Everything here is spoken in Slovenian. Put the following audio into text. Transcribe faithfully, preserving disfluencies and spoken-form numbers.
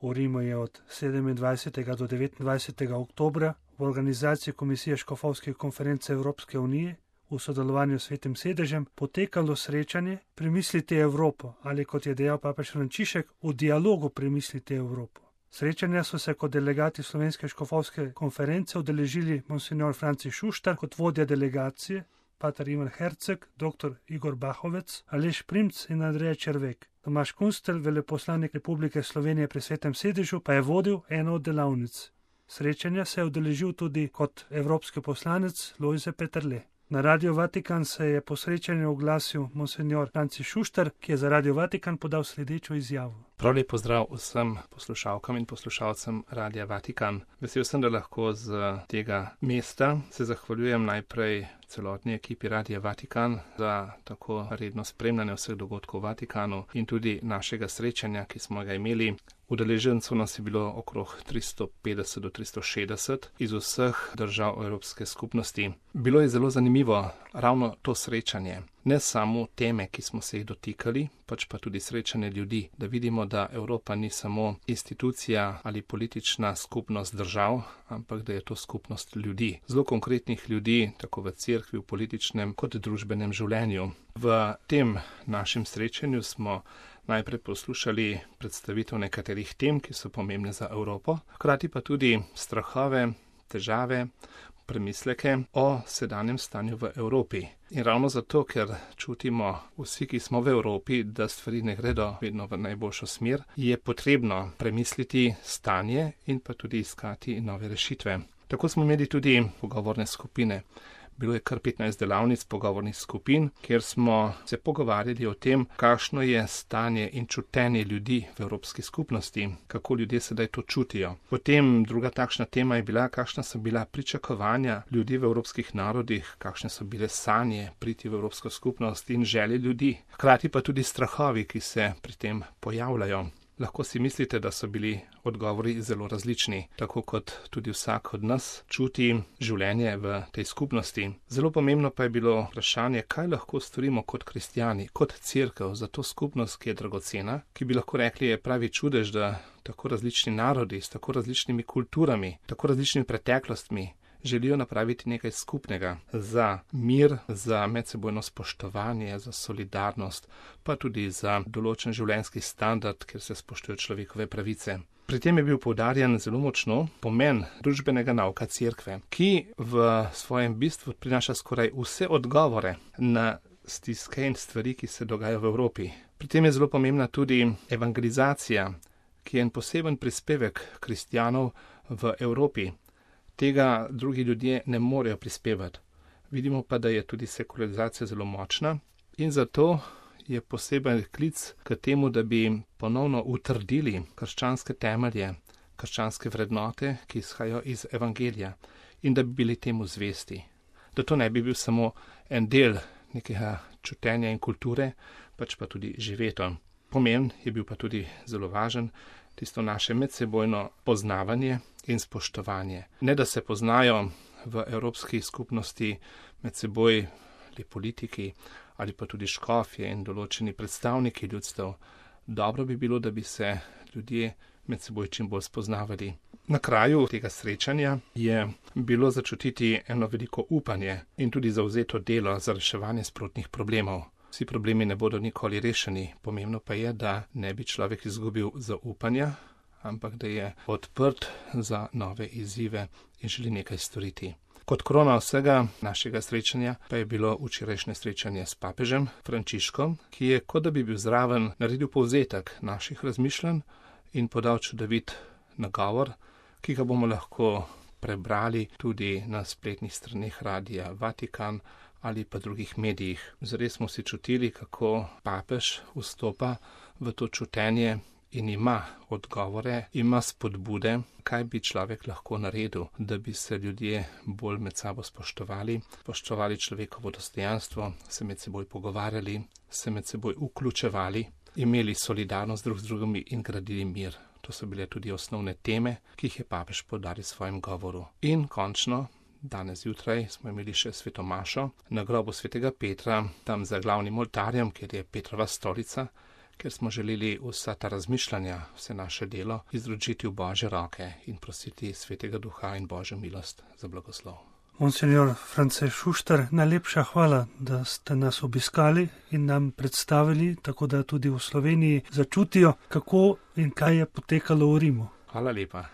V Rimu je od sedemindvajsetega do devetindvajsetega oktobra v organizaciji Komisije škofovske konference Evropske unije v sodelovanju s Svetim sedežem potekalo srečanje Premislite Evropo ali, kot je dejal papež Frančišek, v dialogu Premislite Evropo. Srečanja so se kot delegati Slovenske škofovske konference udeležili monsignor Franci Šuštar kot vodja delegacije, pater Ivan Herceg, doktor Igor Bahovec, Aleš Primc in Andreja Červek. Tomaž Kunstelj, veleposlanik Republike Slovenije pri Svetem sedežu, pa je vodil eno od delavnic. Srečanja se je udeležil tudi kot evropski poslanec Lojze Peterle. Na Radio Vatikan se je po srečanju oglasil monsignor Franci Šuštar, ki je za Radio Vatikan podal sledečo izjavo. Prav lep pozdrav vsem poslušalkam in poslušalcem Radia Vatikan. Vesel sem, da lahko z tega mesta se zahvaljujem najprej celotni ekipi Radia Vatikan za tako redno spremljanje vseh dogodkov v Vatikanu in tudi našega srečanja, ki smo ga imeli. Udeležencev nas je bilo okrog tristo petdeset do tristo šestdeset iz vseh držav Evropske skupnosti. Bilo je zelo zanimivo ravno to srečanje. Ne samo teme, ki smo se jih dotikali, pač pa tudi srečanje ljudi, da vidimo, da Evropa ni samo institucija ali politična skupnost držav, ampak da je to skupnost ljudi. Zelo konkretnih ljudi, tako v cerkvi, v političnem kot družbenem življenju. V tem našem srečanju smo najprej poslušali predstavitev nekaterih tem, ki so pomembne za Evropo, hkrati pa tudi strahove, težave, premisleke o sedanjem stanju v Evropi. In ravno zato, ker čutimo vsi, ki smo v Evropi, da stvari ne gredo vedno v najboljšo smer, je potrebno premisliti stanje in pa tudi iskati nove rešitve. Tako smo imeli tudi pogovorne skupine. Bilo je kar petnajst delavnic pogovornih skupin, kjer smo se pogovarjali o tem, kakšno je stanje in čutenje ljudi v Evropski skupnosti, kako ljudje sedaj to čutijo. Potem druga takšna tema je bila, kakšna so bila pričakovanja ljudi v evropskih narodih, kakšne so bile sanje priti v Evropsko skupnost in želje ljudi, hkrati pa tudi strahovi, ki se pri tem pojavljajo. Lahko si mislite, da so bili odgovori zelo različni, tako kot tudi vsak od nas čuti življenje v tej skupnosti. Zelo pomembno pa je bilo vprašanje, kaj lahko storimo kot kristjani, kot cerkev za to skupnost, ki je dragocena, ki bi lahko rekli, je pravi čudež, da tako različni narodi s tako različnimi kulturami, tako različnimi preteklostmi želijo napraviti nekaj skupnega za mir, za medsebojno spoštovanje, za solidarnost, pa tudi za določen življenjski standard, kjer se spoštujejo človekove pravice. Pri tem je bil poudarjen zelo močno pomen družbenega nauka cerkve, ki v svojem bistvu prinaša skoraj vse odgovore na stiske in stvari, ki se dogajajo v Evropi. Pri tem je zelo pomembna tudi evangelizacija, ki je en poseben prispevek kristjanov v Evropi. Tega drugi ljudje ne morejo prispevati. Vidimo pa, da je tudi sekularizacija zelo močna in zato je poseben klic k temu, da bi ponovno utrdili krščanske temelje, krščanske vrednote, ki izhajajo iz evangelija in da bi bili temu zvesti. Da to ne bi bil samo en del nekega čutenja in kulture, pač pa tudi živeto. Pomen je bil pa tudi zelo važen, tisto naše medsebojno poznavanje in spoštovanje. Ne da se poznajo v evropski skupnosti med seboj le politiki ali pa tudi škofje in določeni predstavniki ljudstev. Dobro bi bilo, da bi se ljudje med seboj čim bolj spoznavali. Na kraju tega srečanja je bilo začutiti eno veliko upanje in tudi zavzeto delo za reševanje sprotnih problemov. Vsi problemi ne bodo nikoli rešeni, pomembno pa je, da ne bi človek izgubil zaupanja, ampak da je odprt za nove izzive in želi nekaj storiti. Kot krona vsega našega srečanja pa je bilo včerajšnje srečanje s papežem Frančiškom, ki je, kot da bi bil zraven, naredil povzetek naših razmišljanj in podal čudovit nagovor, ki ga bomo lahko prebrali tudi na spletnih straneh Radia Vatikan ali pa drugih medijih. Zares smo si čutili, kako papež vstopa v to čutenje in ima odgovore, ima spodbude, kaj bi človek lahko naredil, da bi se ljudje bolj med sabo spoštovali, spoštovali človekovo dostojanstvo, se med seboj pogovarjali, se med seboj vključevali, imeli solidarnost drug z drugimi in gradili mir. To so bile tudi osnovne teme, ki jih je papež poudaril v svojem govoru. In končno, danes zjutraj smo imeli še sveto mašo na grobu svetega Petra, tam za glavnim oltarjem, kjer je Petrova stolica, ker smo želeli vsa ta razmišljanja, vse naše delo izročiti v Božje roke in prositi Svetega Duha in Božjo milost za blagoslov. Monsignor France Šuštar, najlepša hvala, da ste nas obiskali in nam predstavili, tako da tudi v Sloveniji začutijo, kako in kaj je potekalo v Rimu. Hvala lepa.